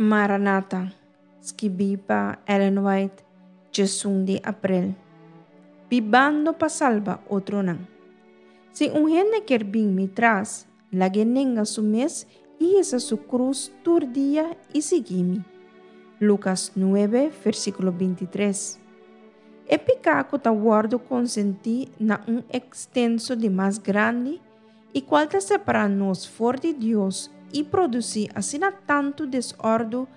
Maranata, skibí pa Ellen White, 11 di aprel. Bibando pa salba otronan. Si un hende kier bin mi tras, lag'é nenga su mes i hisa su krus tur dia i sigui mi. Lukas nuebe, versíkulo bintitres. E piká ku ta wòrdu konsentí na un ekstenso di mas grandi i kual ta separá nos for di Dios i produsí asina tantu desòrdu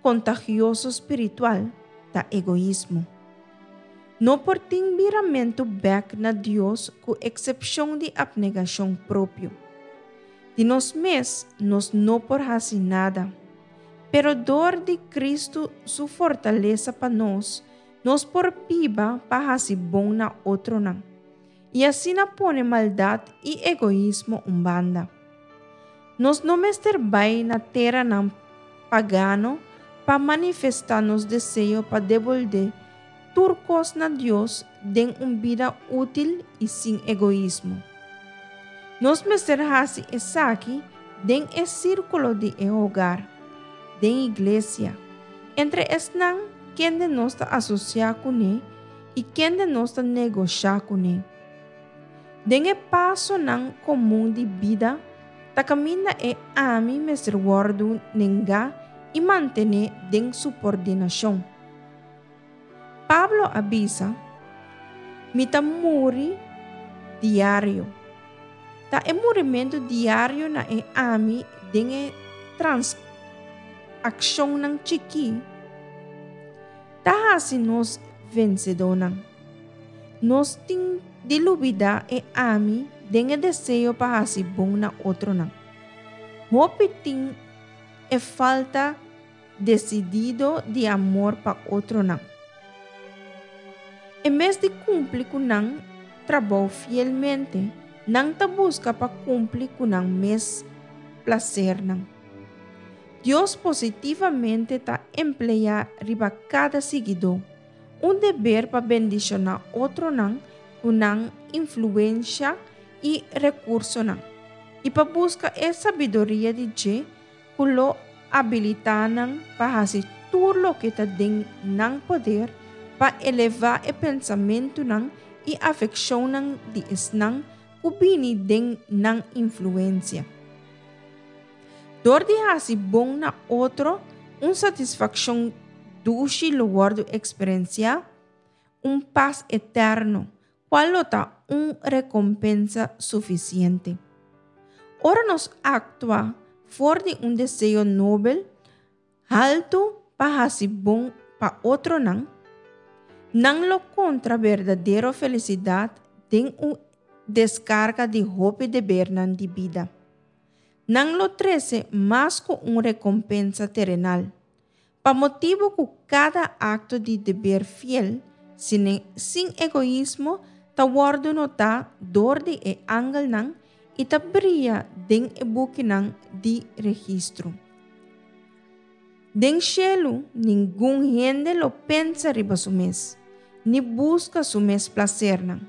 kontagioso spiritual, ta egoismo. No por tin biramentu bèk na Dios ku eksepshon di apnegashon propio. Di nos mes nos no por hasi nada, pero dor di Kristu su fortalesa pa nos, nos por biba pa hasi bon na otronan. I asina pone maldat i egoismo un banda. Nos no mester bai na teranan pagano pa manifestá nos deseo pa debolbé tur kos na Dios den un bida útil i sin egoismo. Nos mester hasi esaki den e sírkulo di e hogar, den iglesia, entre esnan kende nos ta asosiá kuné i kende nos ta negoshá kuné. Den e pasonan komun di bida ta kaminda e ami mester wòrdu nengá i mantené den supordinashon. Pablo a bisa, Mi ta muri diario. Ta e murimentu diario na e ami den e transakshonnan chikí Ta hasi nos vensedónan. Nos tin di lubidá e ami den e deseo pa hasi bon na otronan. Hopi tin e falta desidido di amor pa otronan. En bes di kumpli ku nan trabou fielmente, nan ta buska pa kumpli ku nan mes plasernan. Dios positivamente ta empleá riba kada siguidó un deber pa bendishoná otronan ku nan influensha i rekursonan, i pa buska e sabiduria di dje ku lo abilitá nan pa hasi tur loke ta den nan poder pa elevá e pensamentunan i afekshonnan di esnan ku bini den nan influensia. Dor di hasi bon na otro, un satisfakshon dushi lo wòrdu eksperensiá, un pas eterno, kual lo ta un rekompensa sufisiente. Ora nos aktua for di un deseo nobel, haltu pa hasi bon pa otronan, nan lo kontra berdadero felisidat den un deskarga di hopi debernan di bida. Nan lo trese mas ku un rekompensa terenal, pa motibu ku kada akto di deber fiel, sin egoismo, ta wòrdu notá dor di e angelnan i ta bria den e bukinan di registro. Den shelu ningun hende lo pensa riba su mes, ni buska su mes plasernan,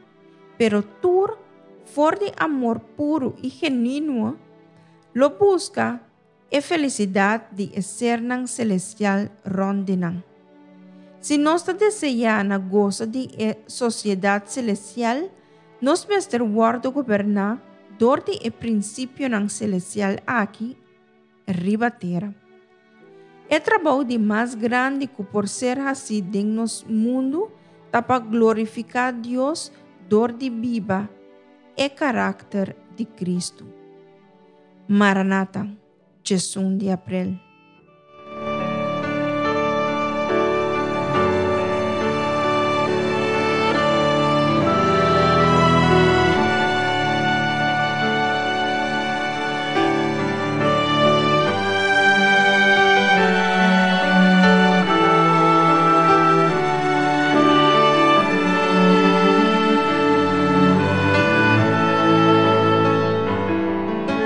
pero tur, for di amor puru i genuino, lo buska e felisidat di e sernan selestial rònt di nan. Si nos ta deseá na gosa di e sosiedat selestial, nos mester wòrdu goberná dor di e prinsipionan selestial aki riba tera. E trabou di mas grandi ku por ser hasí den nos mundu ta pa glorifiká Dios dor di biba e karakter di Kristu. Maranata, 11 di aprel.